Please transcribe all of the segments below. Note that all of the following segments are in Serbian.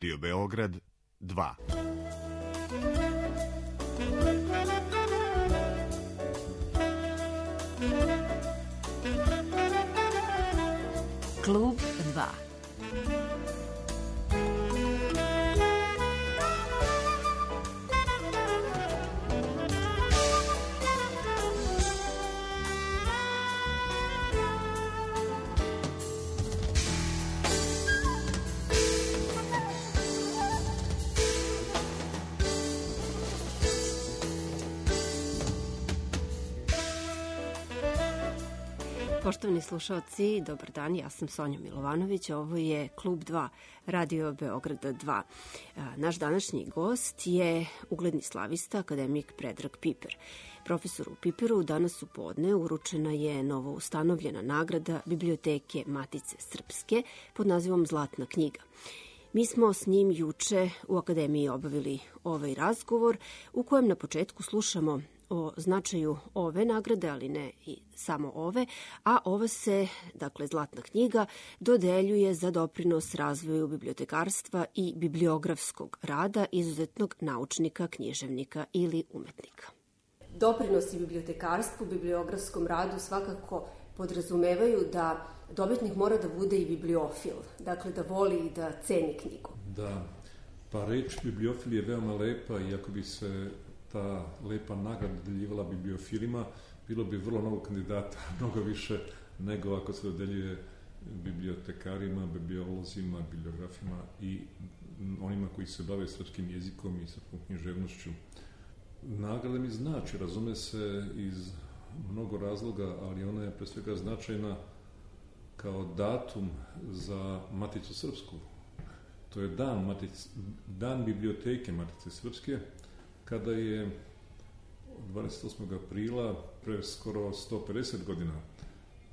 Radio Beograd 2. Klub 2. Poštovani slušalci, dobar dan, ja sam Sonja Milovanović, ovo je Klub 2, Radio Beograda 2. Naš današnji gost je ugledni slavista, akademik Predrag Piper. Profesoru Piperu danas u podne uručena je novo ustanovljena nagrada Biblioteke Matice Srpske pod nazivom Zlatna knjiga. Mi smo s njim juče u Akademiji obavili ovaj razgovor u kojem na početku slušamo o značaju ove nagrade, ali ne i samo ove, a ova se, dakle Zlatna knjiga, dodeljuje za doprinos razvoju bibliotekarstva i bibliografskog rada izuzetnog naučnika, književnika ili umetnika. Doprinosi bibliotekarstvu, bibliografskom radu svakako podrazumevaju da dobitnik mora da bude i bibliofil, dakle da voli i da ceni knjigu. Da, pa reč bibliofil je veoma lepa i ako bi se ta lepa nagrada deljivala bibliofilima, bilo bi vrlo mnogo kandidata, mnogo više nego ako se dodeljuje bibliotekarima, bibliolozima, bibliografima i onima koji se bave srpskim jezikom i srpskom književnošću. Nagrada mi znači, razume se iz mnogo razloga, ali ona je pre svega značajna kao datum za Maticu Srpsku. To je dan biblioteke Matice Srpske, kada je 28. aprila, pre skoro 150 godina,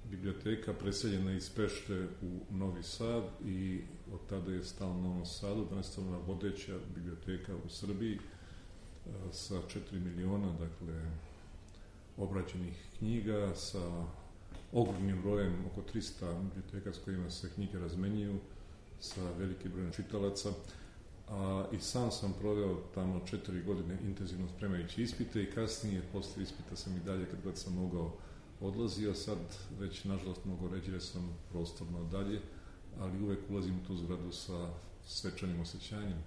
biblioteka preseljena iz Pešte u Novi Sad i od tada je stala u Novom Sadu, danas je ona vodeća biblioteka u Srbiji sa 4 miliona, dakle, obrađenih knjiga, sa ogromnim brojem, oko 300 biblioteka s kojima se knjige razmenjuju, sa velikim brojem čitalaca. I sam proveo tamo 4 godine intenzivno spremajući ispite i kasnije, posle ispita sam i dalje, kad god sam mogao, odlazio. Sad već, nažalost, mnogo ređe jer sam prostorno dalje, ali uvek ulazim u tu zgradu sa svečanim osjećanjem.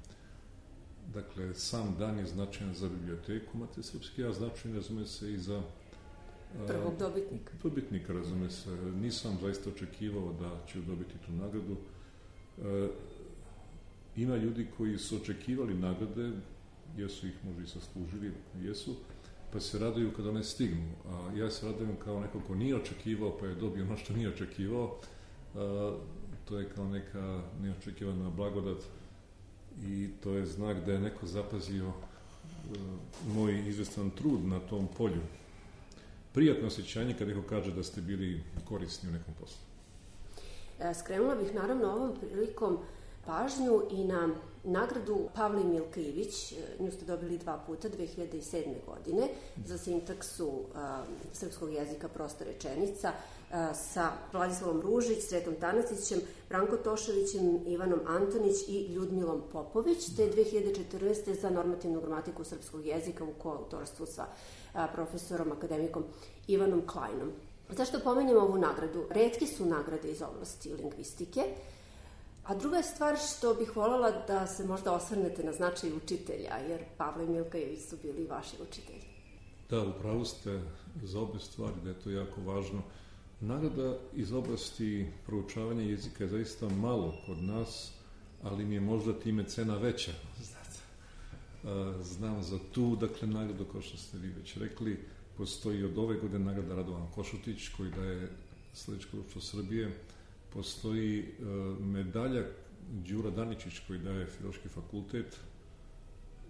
Dakle, sam dan je značajan za biblioteku Matice Srpske, a značajan, razume se, i za prvog dobitnika. Dobitnika, razume se. Nisam zaista očekivao da ću dobiti tu nagradu. Ima ljudi koji su očekivali nagrade, jesu ih možda i zaslužili, jesu, pa se raduju kada one stignu. A ja se radujem kao neko ko nije očekivao, pa je dobio ono što nije očekivao. To je kao neka neočekivana blagodat i to je znak da je neko zapazio moj izvestan trud na tom polju. Prijatno osjećanje kad neko kaže da ste bili korisni u nekom poslu. Skrenula bih naravno ovom prilikom pažnju i na nagradu Pavle i Milka Ivić. Nju ste dobili 2 puta, 2007. godine, za sintaksu srpskog jezika Prosta rečenica sa Vladislavom Ružić, Sretom Tanasićem, Branko Toševićem, Ivanom Antonić i Ljudmilom Popović, te 2014. za normativnu gramatiku srpskog jezika u koautorstvu sa profesorom, akademikom Ivanom Klajnom. Zašto pomenjem ovu nagradu? Retke su nagrade iz oblasti lingvistike, a druga je stvar što bih voljela da se možda osvrnete na značaj učitelja, jer Pavle i Milka Ivić su bili vaši učitelji. Da, upravo ste za obe stvari, da je to jako važno. Nagrada iz oblasti proučavanja jezika je zaista malo kod nas, ali mi je možda time cena veća. Znam za tu, dakle, nagradu, kao što ste vi već rekli, postoji od ove godine nagrada Radovan Košutić, koji daje Sledećko društvo Srbije. Postoji medalja Đura Daničić, koji daje Filološki fakultet,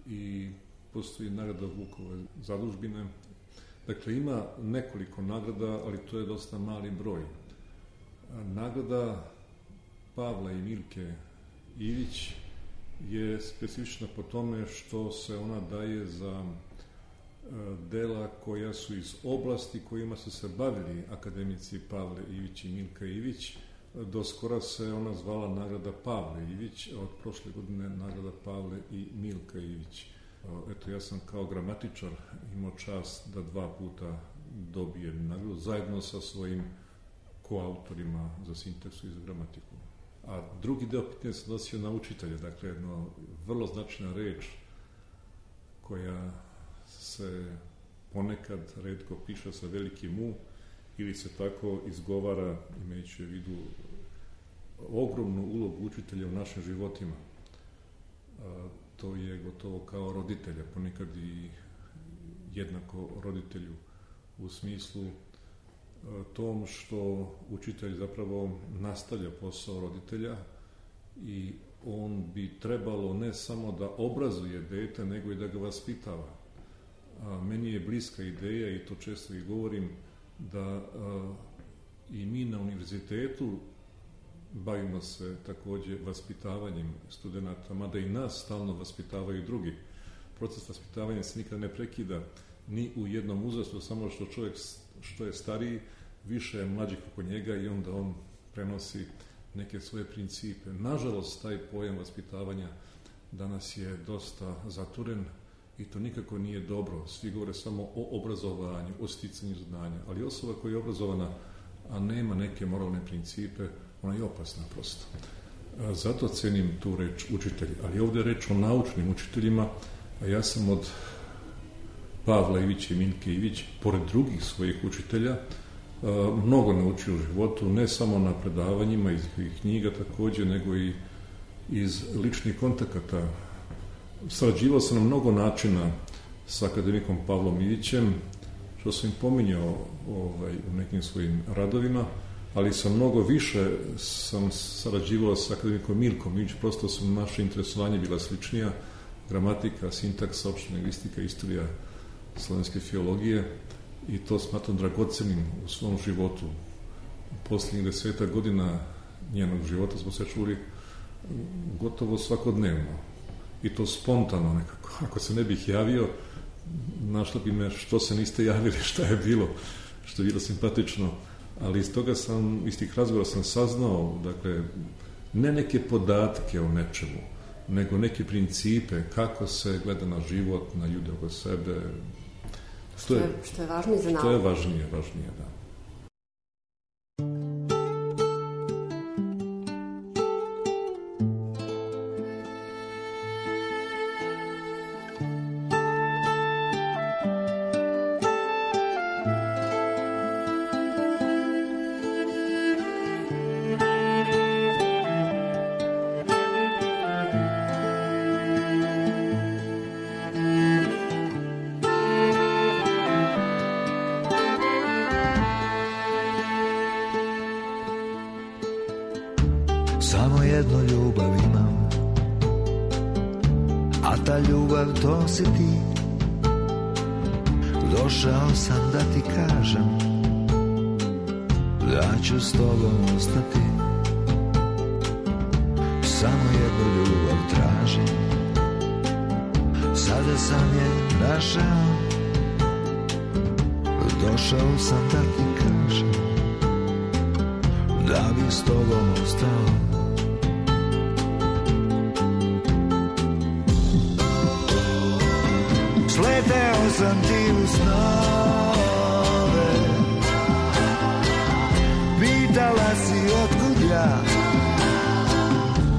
i postoji nagrada Vukove zadužbine. Dakle, ima nekoliko nagrada, ali to je dosta mali broj. Nagrada Pavla i Milke Ivić je specifična po tome što se ona daje za dela koja su iz oblasti kojima su se bavili akademici Pavle Ivić i Milka Ivić, Do skora se ona zvala nagrada Pavle Ivić, a od prošle godine nagrada Pavle i Milka Ivić. Eto, ja sam kao gramatičar imao čast da 2 puta dobijem nagradu zajedno sa svojim koautorima za sintaksu i za gramatiku. A drugi deo pitanja se odnosio na učitelja, dakle, jedno vrlo značajna reč koja se ponekad retko piše sa velikim U ili se tako izgovara, imajući u vidu ogromnu ulogu učitelja u našim životima. To je gotovo kao roditelja, ponekad i jednako roditelju u smislu tom što učitelj zapravo nastavlja posao roditelja i on bi trebalo ne samo da obrazuje dete, nego i da ga vaspitava. Meni je bliska ideja, i to često i govorim, da i mi na univerzitetu bavimo se takođe vaspitavanjem studenta, mada i nas stalno vaspitavaju drugi. Proces vaspitavanja se nikad ne prekida ni u jednom uzrastu, samo što čovjek što je stariji, više je mlađih oko njega i onda on prenosi neke svoje principe. Nažalost, taj pojam vaspitavanja danas je dosta zaturen i to nikako nije dobro. Svi govore samo o obrazovanju, o sticanju znanja, ali osoba koja je obrazovana, a nema neke moralne principe, ona je opasna prosto. Zato cenim tu reč učitelj, ali ovde je reč o naučnim učiteljima, a ja sam od Pavla Ivića i Milke Ivić, pored drugih svojih učitelja, mnogo naučio u životu, ne samo na predavanjima iz knjiga takođe, nego i iz ličnih kontakata. Sarađivao sam na mnogo načina sa akademikom Pavlom Ivićem, što sam im pominjao u nekim svojim radovima, ali sam mnogo više sarađivao sa akademikom Milkom Ivić, prosto su naše interesovanje bila sličnija, gramatika, sintaksa, opšta lingvistika, istorija slovenske filologije, i to smatram dragocenim u svom životu. U posljednjih 10 godina njenog života smo se čuli gotovo svakodnevno. I to spontano nekako. Ako se ne bih javio, našlo bi me što se niste javili, šta je bilo, što je bilo simpatično. Ali iz tih razgovora sam saznao, dakle, ne neke podatke o nečemu, nego neke principe kako se gleda na život, na ljude oko sebe. Što je važnije za nauku. Što je važnije, da. Samo jednu ljubav imam, a ta ljubav to si ti. Došao sam da ti kažem da ću s tobom ostati. Samo jednu ljubav tražim, sada sam je našao. Došao sam da ti kažem da bi s tobom ostao. Sleteo sam ti u snove, pitala si otkud ja,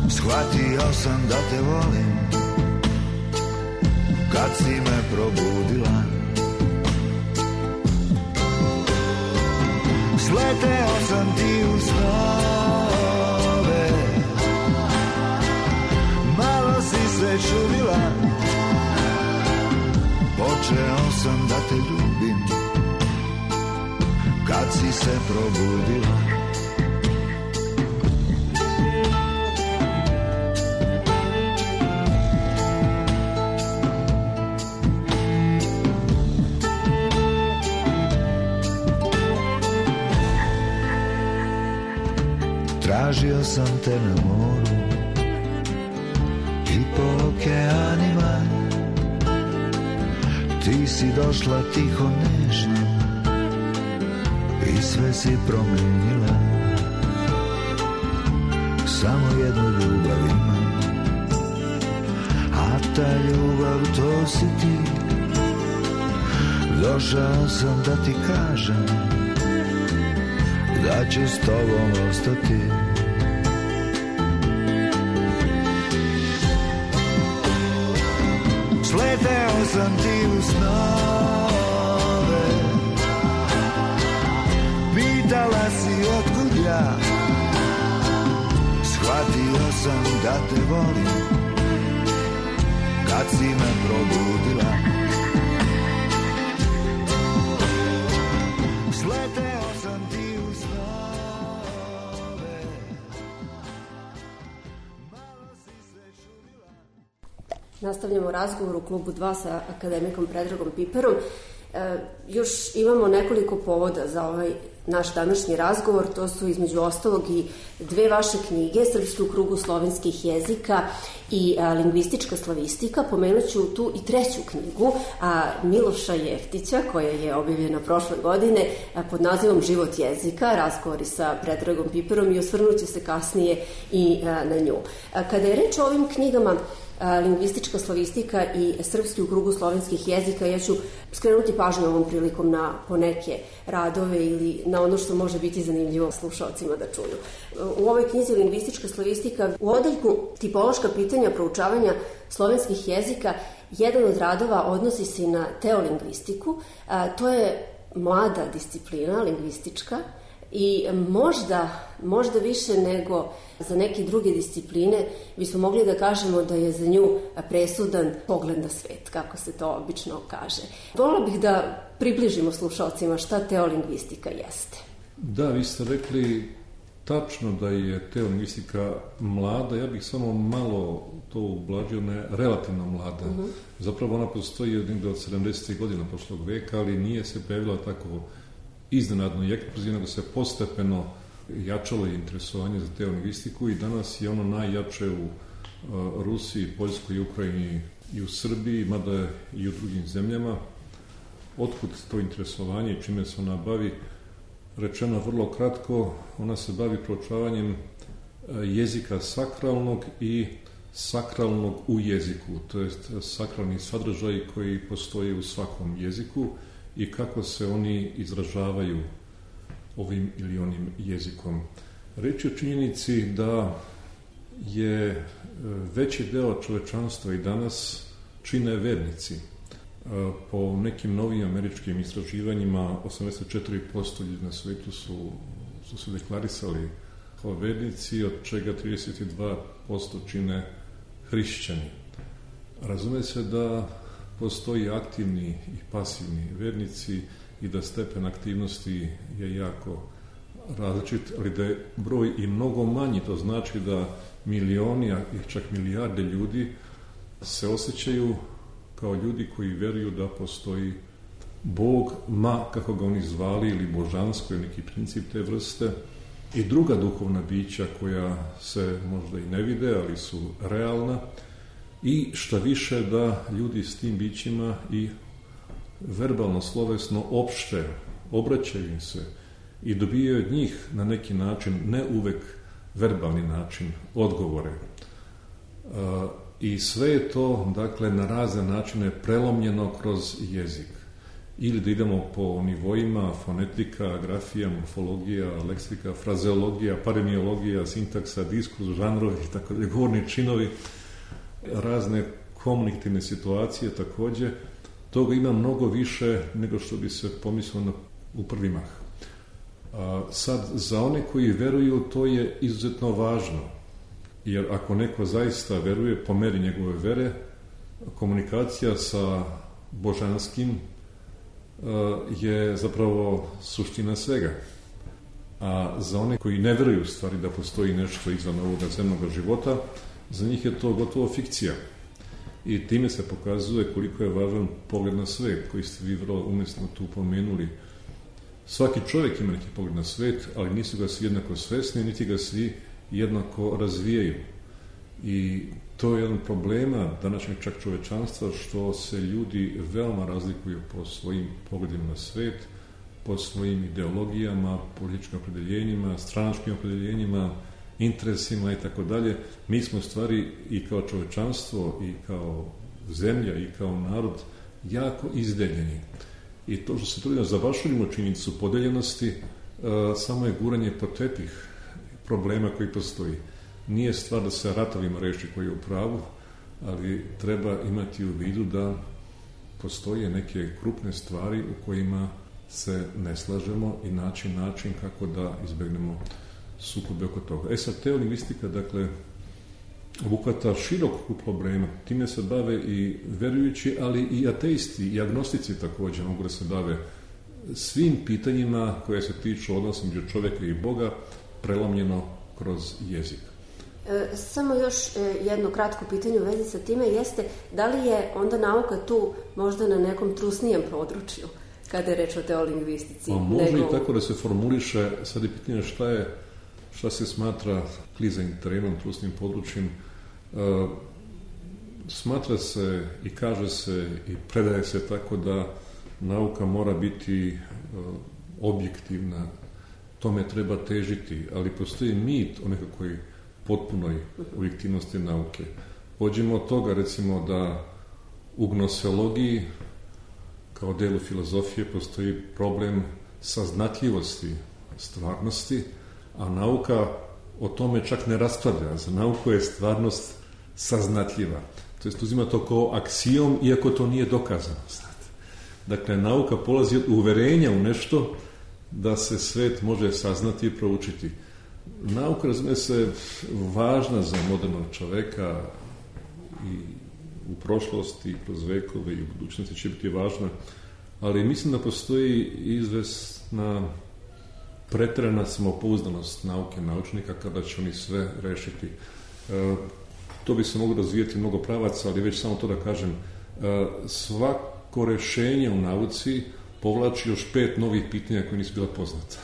shvatio sam da te volim kad si me probudila. Sleteo sam ti u snove, malo si se čudila. Počeo sam da te ljubim kad si se probudila. Tražio sam te na moru i po okeanima. Ti si došla tiho nežno i sve si promenila. samo jednu ljubav imam, a ta ljubav to si ti. Došao sam da ti kažem da ću s tobom ostati. Sleteo sam ti u snove, pitala si otkud ja, shvatio sam da te volim kad si me probudila. Sleteo sam ti u snove, malo si se čudila. Nastavljamo razgovor u klubu 2 sa akademikom Predragom Piperom. Još imamo nekoliko povoda za ovaj naš današnji razgovor. To su između ostalog i 2 vaše knjige, Srpski u krugu slovenskih jezika i Lingvistička slavistika. Pomenut ću tu i 3. knjigu Miloša Jeftića, koja je objavljena prošle godine pod nazivom Život jezika, razgovori sa Predragom Piperom, i osvrnut ću se kasnije i na nju. Kada je reč o ovim knjigama Lingvistička slavistika i Srpski u krugu slovenskih jezika, ja ću skrenuti pažnju ovom prilikom na poneke radove ili na ono što može biti zanimljivo slušalcima da čuju. U ovoj knjizi Lingvistička slavistika, u odeljku tipološka pitanja proučavanja slovenskih jezika, jedan od radova odnosi se na teolingvistiku. To je mlada disciplina lingvistička i možda više nego za neke druge discipline bismo mogli da kažemo da je za nju presudan pogled na svet, kako se to obično kaže. Voljela bih da približimo slušalcima šta teolingvistika jeste. Da, vi ste rekli tačno da je teolingvistika mlada, ja bih samo malo to ublažio, ne relativno mlada. Zapravo ona postoji negdje od 70. godina prošlog veka, ali nije se pojavila tako iznenadno i eksplozivno, da se postepeno jačalo interesovanje za teolingvistiku i danas je ono najjače u Rusiji, Poljskoj, Ukrajini i u Srbiji, mada i u drugim zemljama. Otkud to interesovanje i čime se ona bavi? Rečeno vrlo kratko, ona se bavi proučavanjem jezika sakralnog i sakralnog u jeziku, to jest sakralni sadržaj koji postoji u svakom jeziku i kako se oni izražavaju ovim ili onim jezikom. Reč je o činjenici da je veći deo čovečanstva i danas čine vernici. Po nekim novim američkim istraživanjima 84% ljudi na svetu su se deklarisali kao vernici, od čega 32% čine hrišćani. Razume se da postoji aktivni i pasivni vernici i da stepen aktivnosti je jako različit, ali da je broj i mnogo manji, to znači da milioni, i čak milijarde ljudi se osjećaju kao ljudi koji veruju da postoji Bog, kako ga oni zvali, ili božansko, ili neki princip te vrste, i druga duhovna bića koja se možda i ne vide, ali su realna, i šta više da ljudi s tim bićima i verbalno, slovesno opšte obraćaju im se i dobijaju od njih na neki način, ne uvek verbalni način, odgovore. I sve je to, dakle, na razne načine prelomljeno kroz jezik. Ili da idemo po nivoima, fonetika, grafija, morfologija, leksika, frazeologija, paremiologija, sintaksa, diskurs, žanrovi, tako da govorni činovi, razne komunikativne situacije takođe. Toga ima mnogo više nego što bi se pomislilo u prvi mah. Sad, za one koji veruju, to je izuzetno važno. Jer ako neko zaista veruje, po meri njegove vere, komunikacija sa božanskim je zapravo suština svega. A za one koji ne veruju u stvari da postoji nešto izvan ovoga zemnog života, za njih je to gotovo fikcija. I time se pokazuje koliko je važan pogled na svet, koji ste vi vrlo umesno tu pomenuli. Svaki čovjek ima neki pogled na svet, ali nisu ga svi jednako svesni, niti ga svi jednako razvijaju. I to je jedan problema današnjeg čak čovečanstva, što se ljudi veoma razlikuju po svojim pogledima na svet, po svojim ideologijama, političkim opredeljenjima, stranačkim opredeljenjima interesima i tako dalje. Mi smo u stvari i kao čovečanstvo i kao zemlja i kao narod jako izdeljeni. I to što se trudimo zabašurimo činjenicu podeljenosti, samo je guranje pod tepih problema koji postoji. Nije stvar da se ratovima reši koji je u pravu, ali treba imati u vidu da postoje neke krupne stvari u kojima se ne slažemo i način kako da izbegnemo sukobe oko toga. Sad, teolingvistika, dakle, obuhvata širok krug problema. Time se bave i verujući, ali i ateisti i agnostici također mogu da se bave svim pitanjima koje se tiču odnosa među čovjeka i Boga, prelomljeno kroz jezik. Samo još jedno kratko pitanje u vezi sa time jeste da li je onda nauka tu možda na nekom trusnijem području kada je reč o teolingvistici? Može i tako da se formuliše. Sad je pitanje šta se smatra klizanjem terenom, trusnim područjem. Smatra se i kaže se i predaje se tako da nauka mora biti objektivna, tome treba težiti, ali postoji mit o nekakvoj potpunoj objektivnosti nauke. Pođemo od toga, recimo, da u gnoseologiji kao delu filozofije postoji problem saznatljivosti stvarnosti, a nauka o tome čak ne raspravlja. Za nauku je stvarnost saznatljiva. To jest uzima to kao aksijom, iako to nije dokazano. Dakle, nauka polazi od uverenja u nešto da se svet može saznati i proučiti. Nauka, razumije se, važna za modernog čoveka i u prošlosti, i kroz vekove i u budućnosti će biti važna, ali mislim da postoji izvesna pretjerana samopouzdanost nauke, naučnika, kada će oni sve rešiti. To bi se moglo razvijeti mnogo pravaca, ali već samo to da kažem, svako rešenje u nauci povlači još 5 novih pitanja koje nisu bila poznata.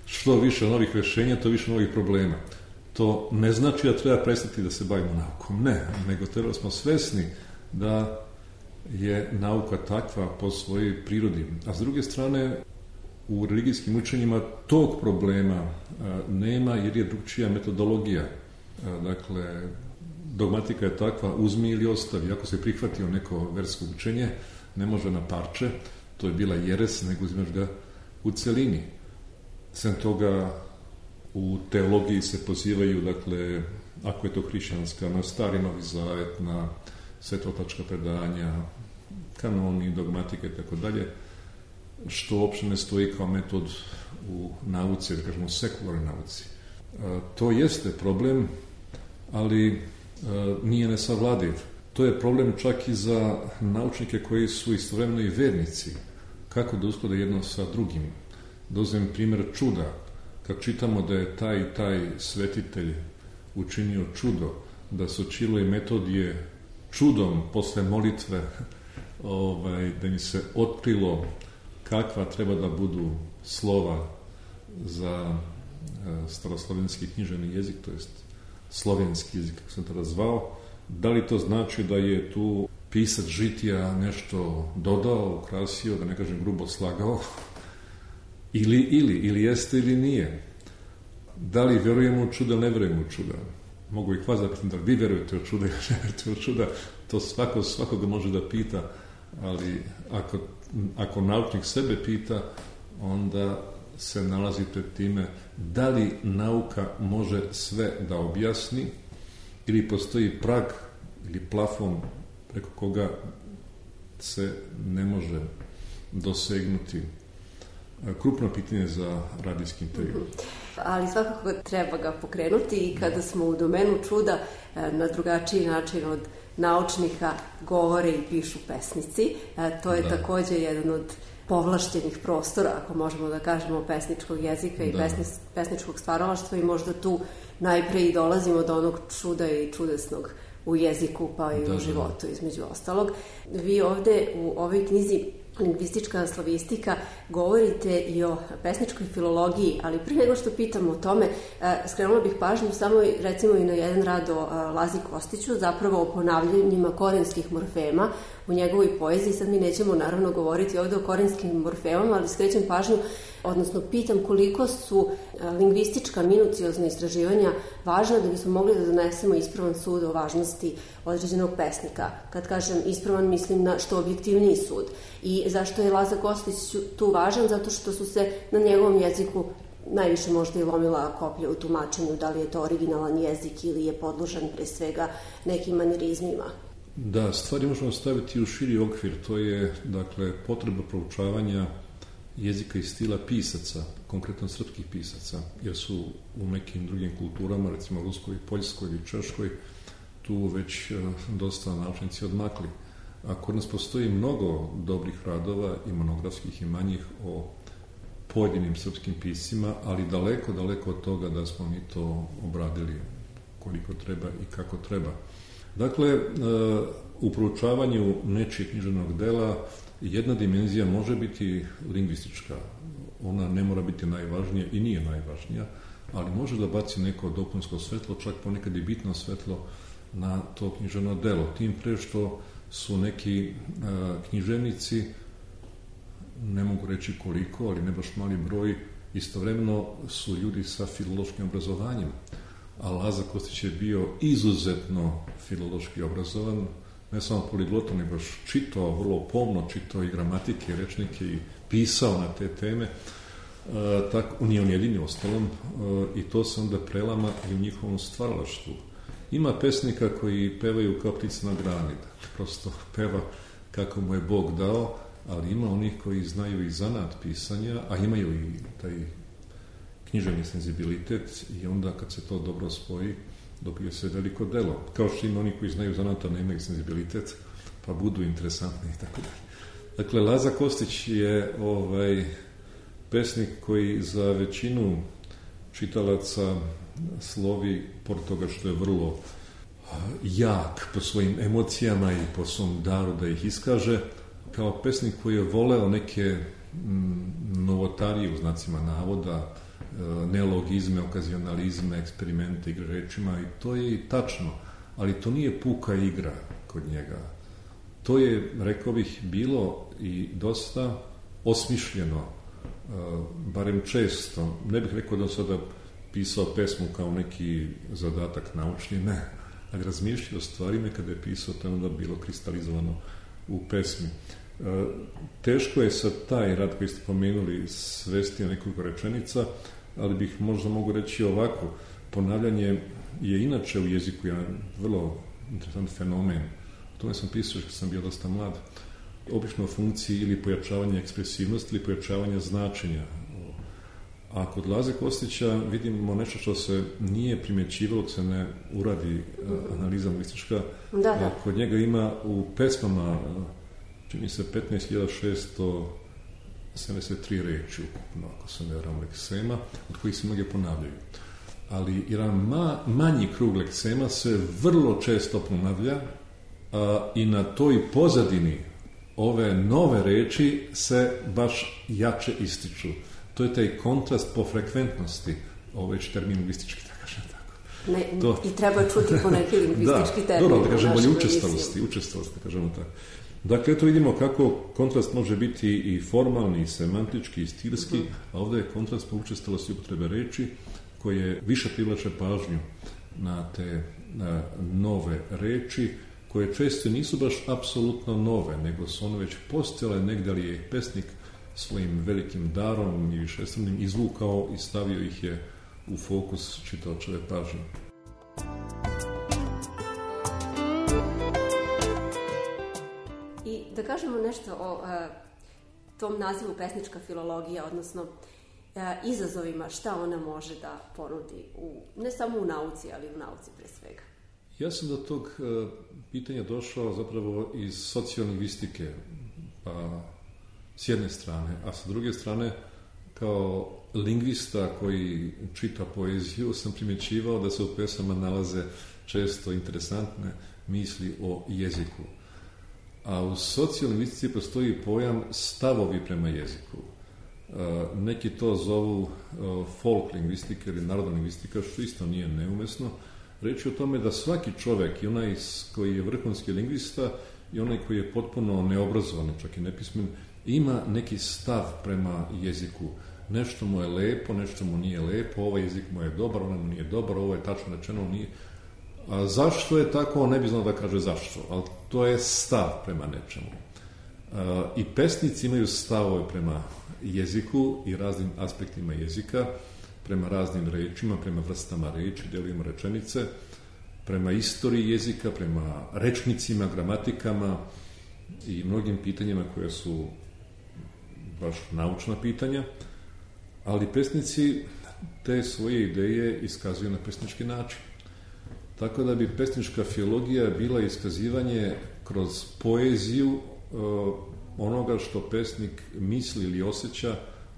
Što više novih rešenja, to više novih problema. To ne znači da treba prestati da se bavimo naukom. Ne, nego treba smo svesni da je nauka takva po svojoj prirodi. A s druge strane, u religijskim učenjima tog problema nema, jer je drugčija metodologija. Dakle, dogmatika je takva, uzmi ili ostavi. Ako se prihvatio neko versko učenje, ne može na parče, to je bila jeres, nego uzmeš ga u celini. Sem toga, u teologiji se pozivaju, dakle, ako je to hrišćanska, na Stari Novi Zavet, na svetotačka predanja, kanoni, dogmatike i tako dalje, što uopšte ne stoji kao metod u nauci, da kažemo sekularnoj nauci. To jeste problem, ali nije nesavladiv. To je problem čak i za naučnike koji su istovremeno i vernici. Kako da usklade jedno sa drugim? Da uzmem primjer čuda. Kad čitamo da je taj i taj svetitelj učinio čudo, da se Čilo i Metodije čudom posle molitve da im se otkrilo kakva treba da budu slova za staroslovenski književni jezik, to jest slovenski jezik, kako sam tada zvao. Da li to znači da je tu pisac žitija nešto dodao, ukrasio, da ne kažem grubo slagao, ili jeste ili nije? Da li vjerujemo u čuda, ne vjerujemo u čuda? Mogu i vas da pitam da li vi vjerujete u čuda ili ne vjerujete u čuda, to svakoga može da pita, ali ako naučnik sebe pita, onda se nalazi pred time da li nauka može sve da objasni ili postoji prag ili plafon preko koga se ne može dosegnuti. Krupno pitanje za radijski intervju. Ali svakako treba ga pokrenuti i kada smo u domenu čuda na drugačiji način od naučnika govore i pišu pesnici. To je također jedan od povlašćenih prostora, ako možemo da kažemo, pesničkog jezika i pesničkog stvaralaštva i možda tu najpre i dolazimo do onog čuda i čudesnog u jeziku pa i u životu između ostalog. Vi ovde u ovoj knjizi Lingvistička slavistika govorite i o pesničkoj filologiji, ali prije nego što pitam o tome, skrenula bih pažnju samo recimo i na jedan rad o Lazi Kostiću, zapravo o ponavljanjima korenskih morfema u njegovoj poeziji. Sad mi nećemo naravno govoriti ovde o korenskim morfemama, ali skrećem pažnju, odnosno pitam koliko su lingvistička minuciozna istraživanja važna da bismo mogli da donesemo ispravan sud o važnosti određenog pesnika. Kad kažem ispravan, mislim na što objektivniji sud. I zašto je Laza Kostić tu važan? Zato što su se na njegovom jeziku najviše možda i lomila koplja u tumačenju da li je to originalan jezik ili je podložan pre svega nekim manirizmima. Da, stvari možemo staviti u širi okvir. To je, dakle, potreba proučavanja jezika i stila pisaca, konkretno srpskih pisaca, jer su u nekim drugim kulturama, recimo ruskoj, poljskoj ili češkoj, tu već dosta naučnici odmakli. A kod nas postoji mnogo dobrih radova i monografskih i manjih o pojedinim srpskim piscima, ali daleko, daleko od toga da smo mi to obradili koliko treba i kako treba. Dakle, u proučavanju nečijeg književnog dela jedna dimenzija može biti lingvistička. Ona ne mora biti najvažnija i nije najvažnija, ali može da baci neko dopunsko svetlo, čak ponekad i bitno svetlo na to književno delo. Tim pre što su neki književnici, ne mogu reći koliko, ali ne baš mali broj, istovremeno su ljudi sa filološkim obrazovanjem. A Laza Kostić je bio izuzetno filološki obrazovan, ne samo poliglotom, nego čitao, vrlo pomno čitao i gramatike, i rečnike i pisao na te teme. Tako, nije on jedini ostalom, i to se onda prelama i u njihovom stvaralaštvu. Ima pesnika koji pevaju kao ptice na grani, prosto peva kako mu je Bog dao, ali ima onih koji znaju i zanat pisanja, a imaju i taj književni senzibilitet i onda kad se to dobro spoji, dobije se veliko delo. Kao što ima oni koji znaju zanat, a nemaju senzibilitet, pa budu interesantni i tako dalje. Dakle, Laza Kostić je pesnik koji za većinu čitalaca slovi, pored toga što je vrlo jak po svojim emocijama i po svom daru da ih iskaže, kao pesnik koji je voleo neke novotarije u znacima navoda, neologizme, okazionalizme, eksperimente, igre rečima, i to je i tačno, ali to nije puka igra kod njega. To je, rekao bih, bilo i dosta osmišljeno, barem često. Ne bih rekao da sada pisao pesmu kao neki zadatak naučni, ne, ali razmišljao o stvarima kada je pisao, to je onda bilo kristalizovano u pesmi. Teško je sad taj rad koji ste pomenuli svesti na nekoliko rečenica, ali bih možda mogu reći ovako. Ponavljanje je inače u jeziku jedan vrlo interesant fenomen. O tome sam pisao kad sam bio dosta mlad. Obično u funkciji ili pojačavanja ekspresivnosti ili pojačavanja značenja. A kod Laze Kostića vidimo nešto što se nije primjećivalo, dok se ne uradi analiza lingvistička. Da. Kod njega ima u pesmama, čini se 15.673 reči ukupno, ako se ne varam, leksema, od kojih se mnoge ponavljaju. Ali jedan manji krug leksema se vrlo često ponavlja i na toj pozadini ove nove reči se baš jače ističu. To je taj kontrast po frekventnosti, ovo je termin lingvistički, da kažem tako. I treba čuti po neki lingvistički termin. Dobro, da kažem bolje učestalosti, da kažemo tako. Dakle, eto vidimo kako kontrast može biti i formalni, i semantički, i stilski, a ovdje je kontrast po učestalosti upotrebe reči koje više privlače pažnju na te nove reči, koje često nisu baš apsolutno nove, nego su one već postojale negdje, ali je pesnik svojim velikim darom i višestranim izvukao i stavio ih je u fokus čitaočeve pažnje. I da kažemo nešto o tom nazivu pesnička filologija, odnosno izazovima, šta ona može da ponudi, ne samo u nauci, ali u nauci pre svega. Ja sam do tog pitanja došao zapravo iz sociolingvistike, pa s jedne strane, a sa druge strane kao lingvista koji čita poeziju sam primjećivao da se u pesama nalaze često interesantne misli o jeziku. A u sociolingvistici postoji pojam stavovi prema jeziku. Neki to zovu folk lingvistika ili narodna lingvistika, što isto nije neumesno. Reći o tome da svaki čovjek, i onaj koji je vrhunski lingvista i onaj koji je potpuno neobrazovan, čak i nepismen, ima neki stav prema jeziku. Nešto mu je lepo, nešto mu nije lepo, ovaj jezik mu je dobar, onaj mu nije dobar, ovo je tačno rečeno, nije. A zašto je tako, on ne bi znao da kaže zašto, ali to je stav prema nečemu. I pesnici imaju stavove prema jeziku i raznim aspektima jezika, prema raznim rečima, prema vrstama reči, dijelovima rečenice, prema istoriji jezika, prema rečnicima, gramatikama i mnogim pitanjima koje su baš naučna pitanja, ali pesnici te svoje ideje iskazuju na pesnički način. Tako da bi pesnička filologija bila iskazivanje kroz poeziju onoga što pesnik misli ili osjeća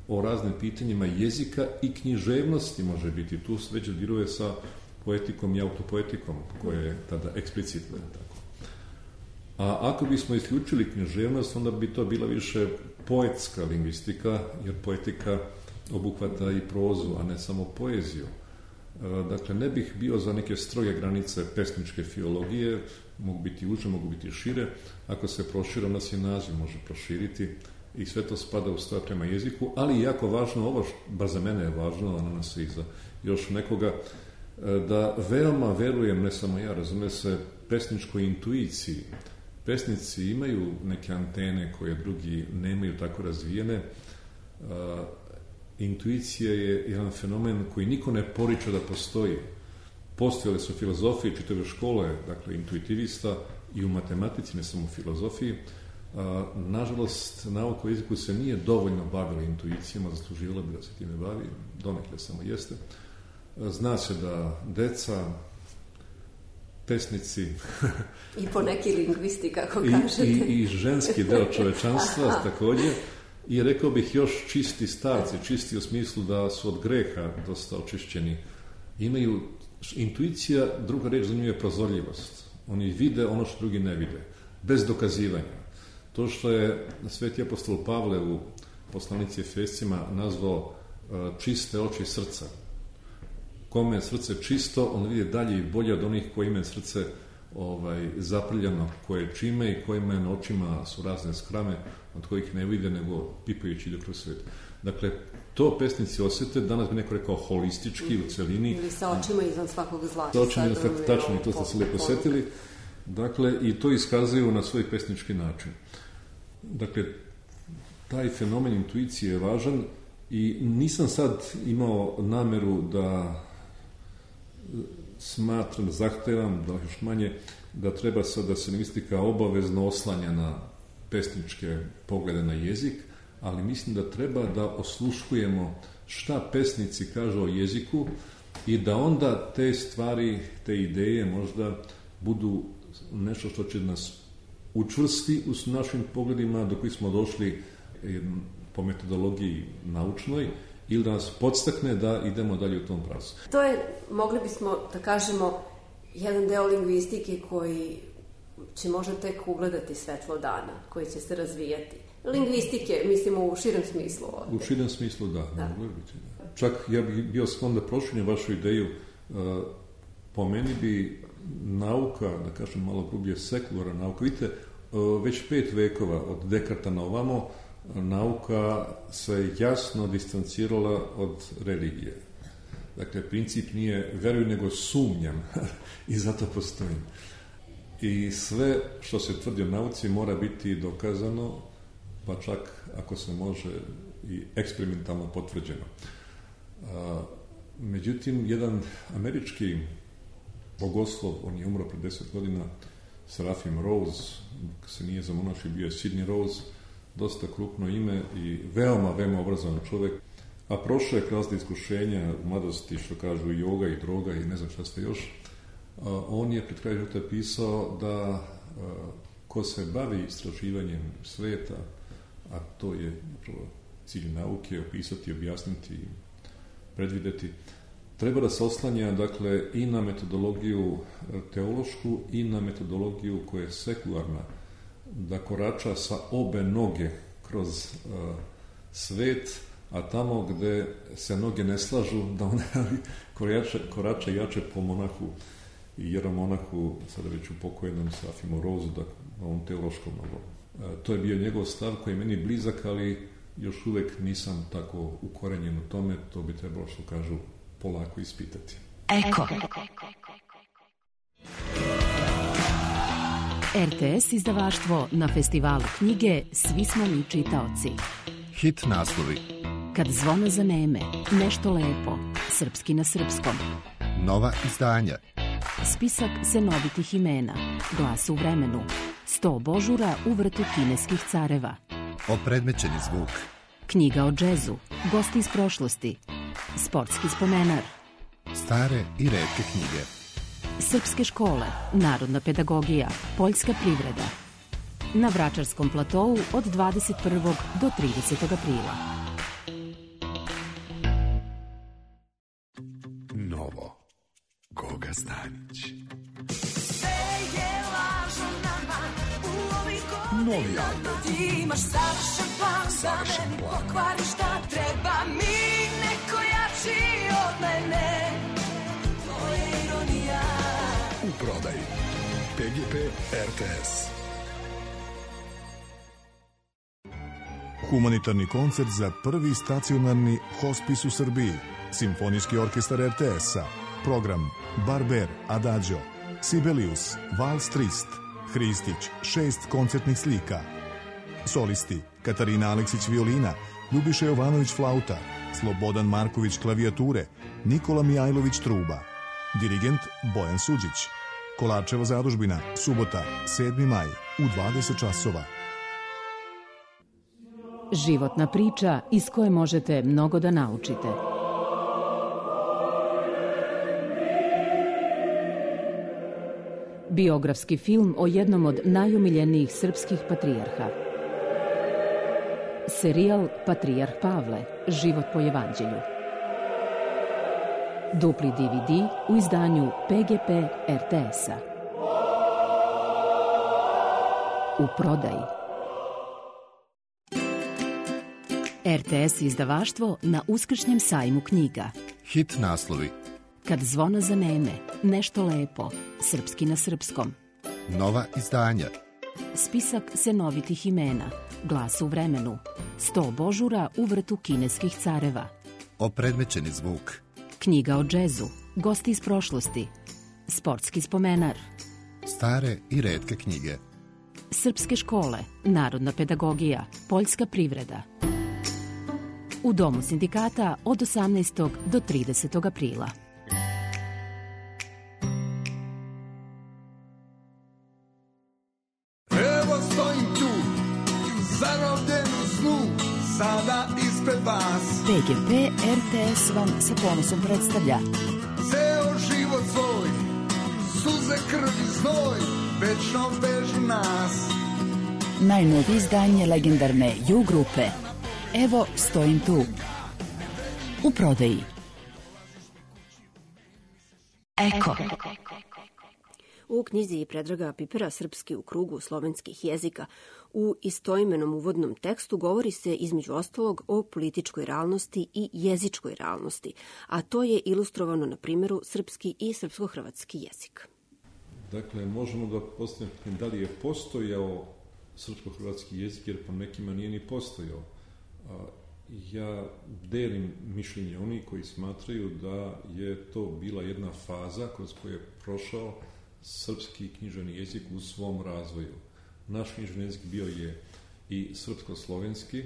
o raznim pitanjima jezika i književnosti može biti. Tu se već diruje sa poetikom i autopoetikom, koje je tada eksplicitno. Tako. A ako bismo isključili književnost, onda bi to bila više poetska lingvistika, jer poetika obuhvata i prozu, a ne samo poeziju. Dakle, ne bih bio za neke stroge granice pesničke filologije, mogu biti uže, mogu biti šire. Ako se prošire, onda se naziv može proširiti i sve to spada u stav prema jeziku, ali jako važno, ovo bar za mene je važno, a na nas i za još nekoga, da veoma verujem, ne samo ja, razume se, pesničkoj intuiciji. Pesnici imaju neke antene koje drugi nemaju tako razvijene. Intuicija je jedan fenomen koji niko ne poriče da postoji. Postojale su filozofije, čitave škole, dakle, intuitivista i u matematici, ne samo u filozofiji. Nažalost, nauka o jeziku se nije dovoljno bavila intuicijama, zasluživala bi da se time bavi, donekle samo jeste. Zna se da deca, pesnici i poneki lingvisti, kako kažete. I ženski deo čovečanstva također. I rekao bih još čisti starci, čisti u smislu da su od greha dosta očišćeni. Imaju intuicija, druga reč za nju je prozorljivost. Oni vide ono što drugi ne vide, bez dokazivanja. To što je sveti apostol Pavle u poslanici Efescima nazvao čiste oči srca. Kome je srce čisto, on vidi dalje i bolje od onih koji imaju srce zaprljano koje čime i kojima na očima su razne skrame od kojih ne vide nego pipajući ide kroz svijet. Dakle, to pesnici osjete, danas bi neko rekao holistički u celini. Ili sa očima izvan svakog zla. Sa očima izvan svakog, tačno, i to ste se lijepo setili. Dakle, i to iskazuju na svoj pesnički način. Dakle, taj fenomen intuicije je važan i nisam sad imao nameru da smatram, zahtevam, da još manje, da treba sad da se lingvistika obavezno oslanja na pesničke poglede na jezik, ali mislim da treba da osluškujemo šta pesnici kažu o jeziku i da onda te stvari, te ideje možda budu nešto što će nas učvrsti u našim pogledima do kojih smo došli po metodologiji naučnoj ili da nas podstakne da idemo dalje u tom pravcu. To je, mogli bismo da kažemo, jedan deo lingvistike koji će možda tek ugledati svetlo dana, koji će se razvijati. Lingvistike, mislimo u širem smislu ovdje. U širem smislu, da. Mogli biti. Čak ja bih bio sklon da proširim vašu ideju. Po meni bi nauka, da kažem malo grublje, sekularna nauka, vidite, već 5 vekova od Dekarta na ovamo, nauka se jasno distancirala od religije. Dakle, princip nije veruj nego sumnjam i zato postojim. I sve što se tvrdi o nauci mora biti dokazano, pa čak ako se može i eksperimentalno potvrđeno. Međutim, jedan američki bogoslov, on je umro pred 10 godina, Seraphim Rose, se nije zamonašio, bio je Sidney Rose, dosta krupno ime i veoma, veoma obrazovan čovjek, a prošao je kroz iskušenja u mladosti, što kažu i joga i droga i ne znam šta ste još. On je pred kraj života pisao da ko se bavi istraživanjem sveta, a to je cilj nauke, opisati, objasniti, predvideti, treba da se oslanja, dakle, i na metodologiju teološku i na metodologiju koja je sekularna, da korača sa obe noge kroz svet, a tamo gde se noge ne slažu, da one korače jače po monahu i jeromonahu, sada već upokojenom Safimo Rozu, da ovom teološkom novom. To je bio njegov stav koji je meni blizak, ali još uvek nisam tako ukorenjen u tome, to bi trebalo, što kažu, polako ispitati. Eko. RTS izdavaštvo na festivalu knjige Svi smo mi čitaoci. Hit naslovi. Kad zvona zaneme, nešto lepo, srpski na srpskom. Nova izdanja. Spisak senovitih imena, Glas u vremenu, 100 božura u vrtu kineskih careva. Opredmećeni zvuk. Knjiga o džezu, gosti iz prošlosti, sportski spomenar. Stare i retke knjige. Srpske škole, narodna pedagogija, poljska privreda. Na Vračarskom platovu od 21. do 30. aprila. Novo. Goga Stanić. Novi album. Ti imaš savršen plan, Savršen da me plan. pokvari šta treba mi, neko jači od mene. To je ironija. U prodaji. PGP RTS. Humanitarni koncert za prvi stacionarni hospis u Srbiji. Simfonijski orkestar RTS-a. Program Barber, Adagio, Sibelius, Vals Trist, Hristić, 6 koncertnih slika. Solisti Katarina Aleksić violina, Ljubiša Jovanović flauta, Slobodan Marković klavijature, Nikola Mijajlović truba. Dirigent Bojan Suđić. Kolarčeva zadužbina, subota, 7. maj, u 20 časova. Životna priča iz koje možete mnogo da naučite. Biografski film o jednom od najomiljenijih srpskih patrijarha. Serijal Patrijarh Pavle, život po evanđelju. Dupli DVD u izdanju PGP RTS-a. U prodaji. RTS izdavaštvo na Uskršnjem sajmu knjiga. Hit naslovi. Kad zvona zaneme, nešto lepo, srpski na srpskom. Nova izdanja. Spisak senovitih imena, Glas u vremenu, 100 božura u vrtu kineskih careva. Opredmećeni zvuk. Knjiga o džezu, gosti iz prošlosti, sportski spomenar. Stare i retke knjige. Srpske škole, narodna pedagogija, poljska privreda. U Domu sindikata od 18. do 30. aprila. Evo stojim tu, zarobljen u snu, sada ispred vas. PGP RTS vam sa ponosom predstavlja Ceo život svoj, suze, krv i znoj, večno vežu nas. Najnovije izdanje legendarne U grupe. Evo stojim tu. U prodaji. Eko. U knjizi Predraga Pipera Srpski u krugu slovenskih jezika u istoimenom uvodnom tekstu govori se između ostalog o političkoj realnosti i jezičkoj realnosti, a to je ilustrovano na primjeru srpski i srpsko-hrvatski jezik. Dakle, možemo da postavimo da li je postojao srpsko-hrvatski jezik, jer po nekima nije ni postojao. Ja delim mišljenje onih koji smatraju da je to bila jedna faza kroz koju je prošao srpski književni jezik u svom razvoju. Naš književni jezik bio je i srpsko-slovenski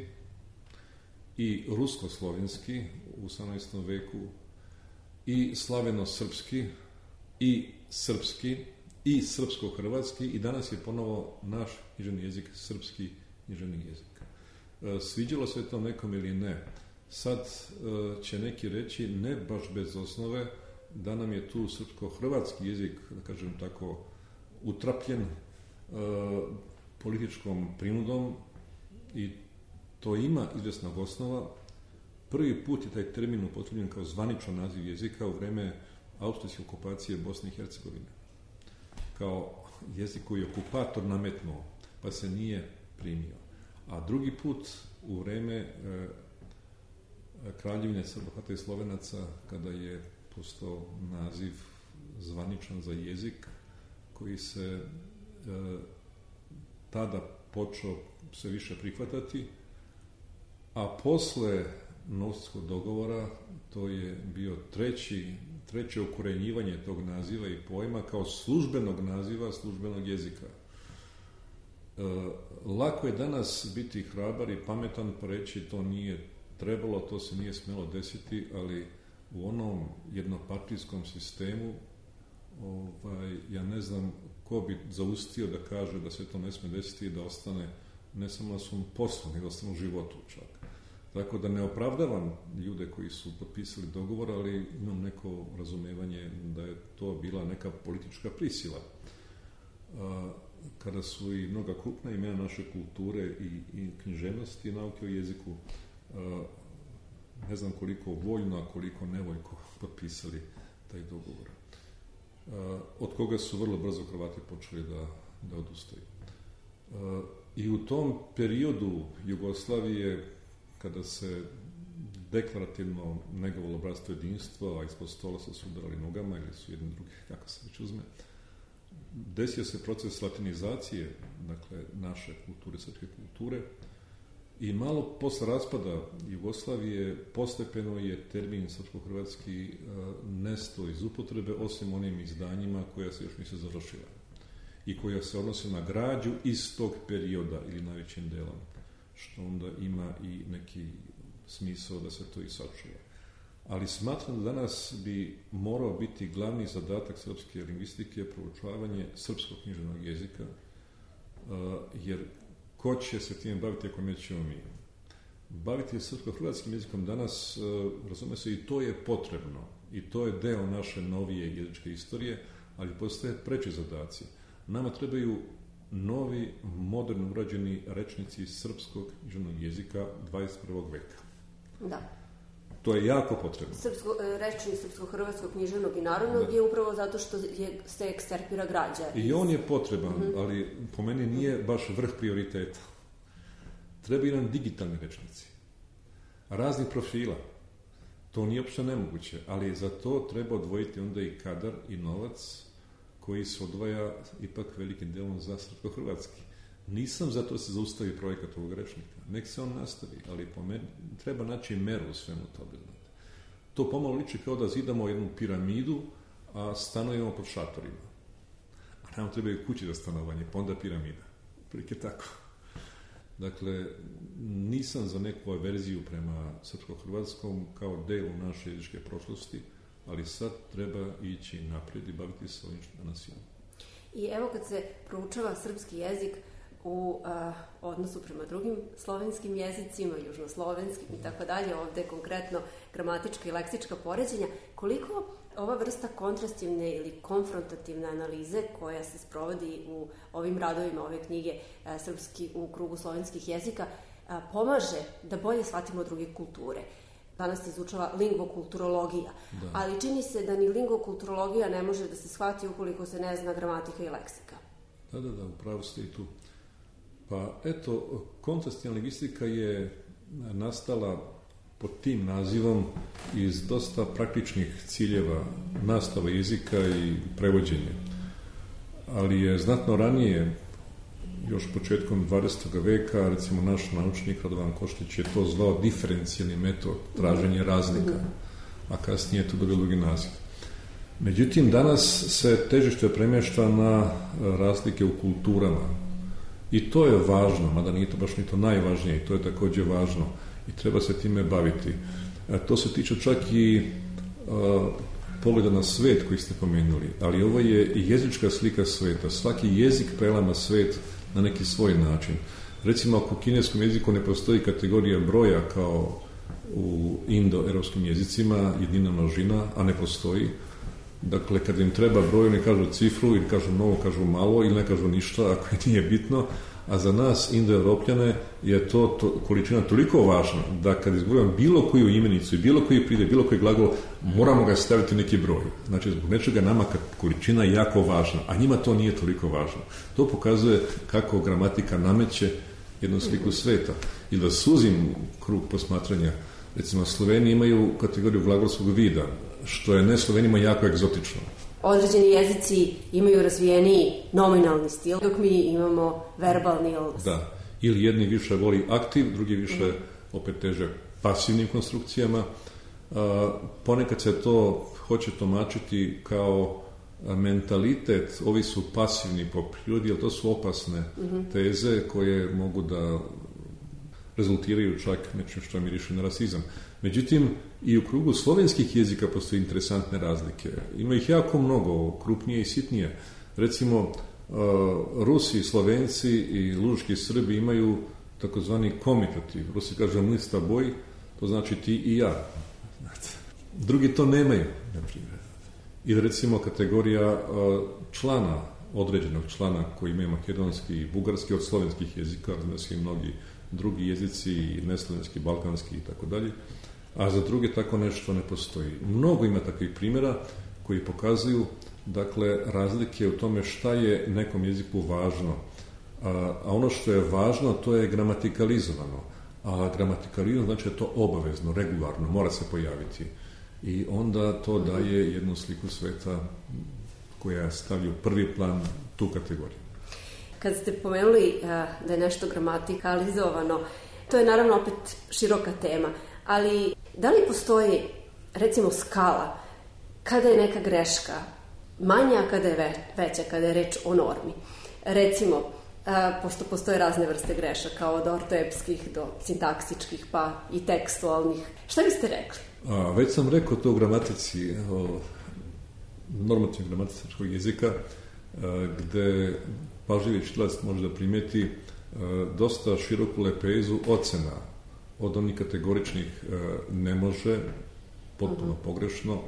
i rusko-slovenski u 18. veku i slaveno-srpski i srpski i srpsko-hrvatski i danas je ponovo naš književni jezik srpski književni jezik. Sviđalo se to nekom ili ne. Sad će neki reći, ne baš bez osnove, da nam je tu srpsko-hrvatski jezik, da kažem tako, utrapljen političkom prinudom i to ima izvesnog osnova. Prvi put je taj termin upotrebljen kao zvaničan naziv jezika u vreme austrijske okupacije Bosne i Hercegovine. Kao jezik koji je okupator nametnuo, pa se nije primio. A drugi put u vreme Kraljevine Srba i Slovenaca, kada je postao naziv zvaničan za jezik koji se tada počeo sve više prihvatati, a posle Novskog dogovora to je bio treće ukorenjivanje tog naziva i pojma kao službenog naziva, službenog jezika. Lako je danas biti hrabar i pametan pa reći to nije trebalo, to se nije smjelo desiti, ali u onom jednopartijskom sistemu ja ne znam ko bi zaustio da kaže da se to ne smije desiti i da ostane ne samo na svom poslu, nego da ostane u životu čak. Tako da ne opravdavam ljude koji su potpisali dogovor, ali imam neko razumevanje da je to bila neka politička prisila. Kada su i mnoga krupna imena naše kulture i književnosti i nauke o jeziku, ne znam koliko voljno, a koliko nevoljko potpisali taj dogovor. Od koga su vrlo brzo Hrvati počeli da odustaju. I u tom periodu Jugoslavije, kada se deklarativno negovalo bratstvo jedinstvo, a ispod stola se sudarali nogama ili su jedni drugi, kako se već uzme, desio se proces latinizacije, dakle, naše kulture, srpske kulture, i malo posle raspada Jugoslavije postepeno je termin srpsko-hrvatski nestao iz upotrebe, osim onim izdanjima koja se još nisu završila i koja se odnose na građu iz tog perioda ili najvećim delom, što onda ima i neki smisao da se to i sačuva. Ali smatram da danas bi morao biti glavni zadatak srpske lingvistike proučavanje srpskog književnog jezika, jer ko će se tim baviti ako nećemo mi? Baviti srpsko-hrvatskim jezikom danas, razume se, i to je potrebno. I to je deo naše novije jezičke istorije, ali postoje preči zadaci. Nama trebaju novi, moderno urađeni rečnici srpskog književnog jezika 21. veka. Da. To je jako potrebno. Rečnik srpsko-hrvatskog književnog i narodnog je upravo zato što se eksterpira građa. I on je potreban, ali po meni nije baš vrh prioriteta. Trebaju nam digitalni rečnici. Raznih profila. To nije uopšte nemoguće, ali za to treba odvojiti onda i kadar i novac koji se odvaja ipak velikim delom za srpsko-hrvatski. Nisam zato da se zaustavi projekat ovog rečnika. Nek se on nastavi, ali po meni treba naći meru u svemu tobe. To pomalo liči kao da zidamo jednu piramidu, a stanujemo pod šatorima. A nam trebaju kući za stanovanje, pa onda piramida. Prilike tako. Dakle, nisam za neku averziju prema srpsko-hrvatskom kao delu naše jezičke prošlosti, ali sad treba ići naprijed i baviti se ovim što danas imamo. I evo kad se proučava srpski jezik u odnosu prema drugim slovenskim jezicima, južnoslovenskim i tako dalje, ovde konkretno gramatička i leksička poređenja, koliko ova vrsta kontrastivne ili konfrontativne analize koja se sprovodi u ovim radovima ove knjige Srpski u krugu slovenskih jezika pomaže da bolje shvatimo druge kulture. Danas se izučava lingvokulturologija, ali čini se da ni lingvokulturologija ne može da se shvati ukoliko se ne zna gramatika i leksika. Da, upravo ste i tu. Pa eto, kontrastivna lingvistika je nastala pod tim nazivom iz dosta praktičnih ciljeva nastava jezika i prevođenja. Ali je znatno ranije, još početkom 20. veka, recimo naš naučnik Radovan Koštić je to zvao diferencijalni metod, traženje razlika, a kasnije je to dobilo drugi naziv. Međutim, danas se težište premješta na razlike u kulturama. I to je važno, mada nije to baš ni to najvažnije, i to je također važno i treba se time baviti. To se tiče čak i pogleda na svet koji ste pomenuli, ali ovo je i jezička slika sveta. Svaki jezik prelama svet na neki svoj način. Recimo, ako u kineskom jeziku ne postoji kategorija broja kao u indo-europskim jezicima, jednina množina, a ne postoji. Dakle, kad im treba broj, ne kažu cifru, ili kažu mnogo, kažu malo, ili ne kažu ništa, ako je nije bitno. A za nas, indo-europljane, je to količina toliko važna, da kad izgovorim bilo koju imenicu i bilo koji pride, bilo koji glagol, moramo ga staviti neki broj. Znači, zbog nečega nama količina je jako važna, a njima to nije toliko važno. To pokazuje kako gramatika nameće jednu sliku sveta. I da suzim krug posmatranja, Recimo, Sloveni imaju kategoriju glagolskog vida, što je ne Slovenima jako egzotično. Određeni jezici imaju razvijeniji nominalni stil, dok mi imamo verbalni. Da, ili jedni više voli aktiv, drugi više opet teže pasivnim konstrukcijama. Ponekad se to hoće tumačiti kao mentalitet, ovi su pasivni po prirodi, jer to su opasne teze koje mogu da rezultiraju čak nečim što miriše na rasizam. Međutim, i u krugu slovenskih jezika postoje interesantne razlike. Ima ih jako mnogo, krupnije i sitnije. Recimo, Rusi, Slovenci i lužki Srbi imaju takozvani komitativ. Rusi kažu my s taboj, to znači ti i ja. Drugi to nemaju, na primjer. Ili recimo kategorija člana, određenog člana koji ima makedonski i bugarski od slovenskih jezika, znači i mnogi drugi jezici, i neslovenski, balkanski i tako dalje, a za druge tako nešto ne postoji. Mnogo ima takvih primjera koji pokazuju, dakle, razlike u tome šta je nekom jeziku važno. A ono što je važno, to je gramatikalizovano. A gramatikalizovano znači da je to obavezno, regularno, mora se pojaviti. I onda to daje jednu sliku sveta koja stavlja u prvi plan tu kategoriju. Kad ste pomenuli da je nešto gramatikalizovano, to je naravno opet široka tema, ali da li postoji, recimo, skala kada je neka greška manja, kada je veća, kada je reč o normi? Recimo, pošto postoje razne vrste grešaka, od ortoepskih do sintaksičkih, pa i tekstualnih. Šta biste rekli? Već sam rekao to u gramatici, normativnog gramatičkog jezika, gde pažljivi čitač može da primeti dosta široku lepezu ocena, od onih kategoričnih ne može, potpuno pogrešno,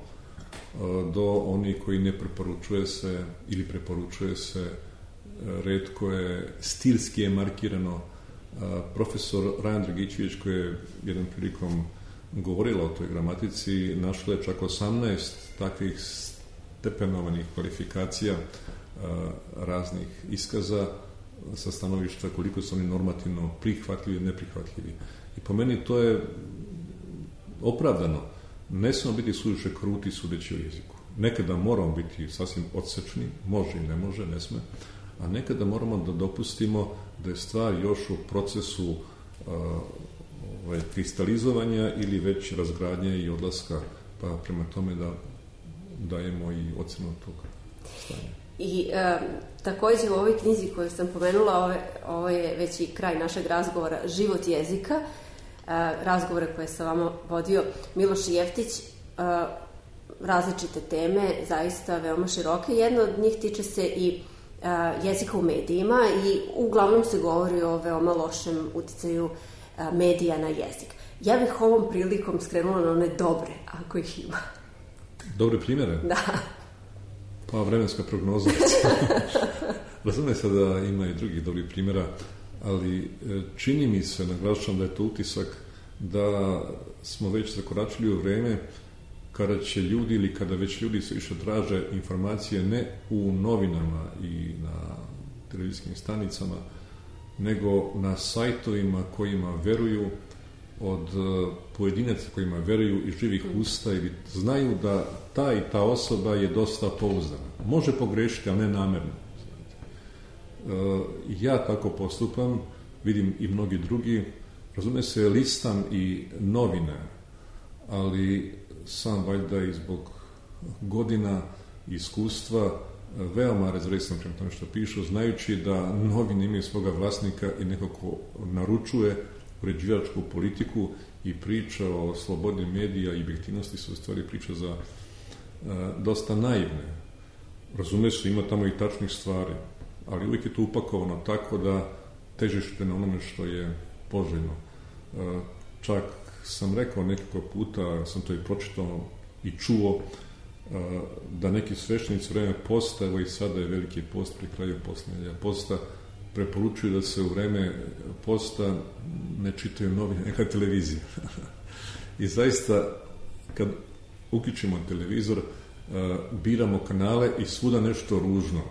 do onih koji ne preporučuje se ili preporučuje se, retko je, stilski je markirano. Profesor Rajan Dragićević, koji je jednom prilikom govorila o toj gramatici, našla je čak 18 takvih stepenovanih kvalifikacija raznih iskaza sa stanovišta koliko su oni normativno prihvatljivi i neprihvatljivi. I po meni to je opravdano. Ne smemo biti suviše kruti sudeći o jeziku. Nekada moramo biti sasvim odsečni, može i ne može, ne sme, a nekada moramo da dopustimo da je stvar još u procesu kristalizovanja ili već razgradnje i odlaska, pa prema tome da dajemo i ocenu tog stanja. I takođe u ovoj knjizi koju sam pomenula, ovo je već i kraj našeg razgovora, Život jezika, razgovore koje sam vama vodio Miloš Jeftić, različite teme, zaista veoma široke. Jedna od njih tiče se i jezika u medijima i uglavnom se govori o veoma lošem uticaju medija na jezik. Ja bih ovom prilikom skrenula na one dobre, ako ih ima. Dobre primjere? Da. Pa vremenska prognoza. Razume se da ima i drugih dobrih primjera, ali čini mi se, naglašavam da je to utisak, da smo već zakoračili u vreme kada će ljudi ili kada već ljudi se više traže informacije ne u novinama i na televizijskim stanicama, nego na sajtovima kojima veruju, od pojedinaca kojima veruju i živih usta i znaju da ta i ta osoba je dosta pouzdana. Može pogrešiti, ali ne namerno. Ja tako postupam, vidim i mnogi drugi, razume se, listam i novine, ali sam valjda i zbog godina i iskustva veoma rezervisan prema tome što pišu, znajući da novine imaju svoga vlasnika i neko ko naručuje uređivačku politiku i priča o slobodi medija i objektivnosti su u stvari priča za dosta naivne. Razume se, ima tamo i tačnih stvari, ali uvijek je to upakovano tako da težište na onome što je poželjno. Čak sam rekao nekoliko puta, sam to i pročitao i čuo, da neki sveštenici u vreme posta, evo i sada je veliki post pri kraju posljednja posta, preporučuju da se u vreme posta ne čitaju novine, neka televizija. I zaista, kad uključimo televizor, biramo kanale i svuda nešto ružno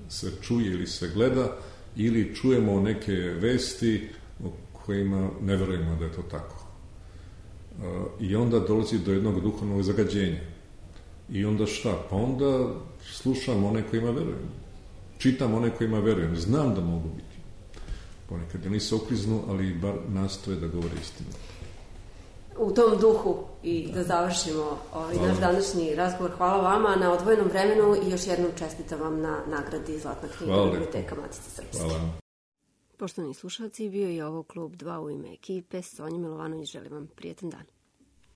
se čuje ili se gleda, ili čujemo neke vesti o kojima ne verujemo da je to tako. I onda dolazi do jednog duhovnog zagađenja. I onda šta? Pa onda slušam one kojima verujem. Čitam one kojima verujem. Znam da mogu biti. Ponekad ili se okliznu, ali bar nastoje da govore istinu. U tom duhu i da završimo naš današnji razgovor. Hvala vama na odvojenom vremenu i još jednom čestitam vam na nagradi Zlatna knjiga Biblioteka Matice Srpske. Hvala. Poštovani slušalci, bio je ovo Klub 2 u ime ekipe. Sonja Milovanović, želim vam prijetan dan.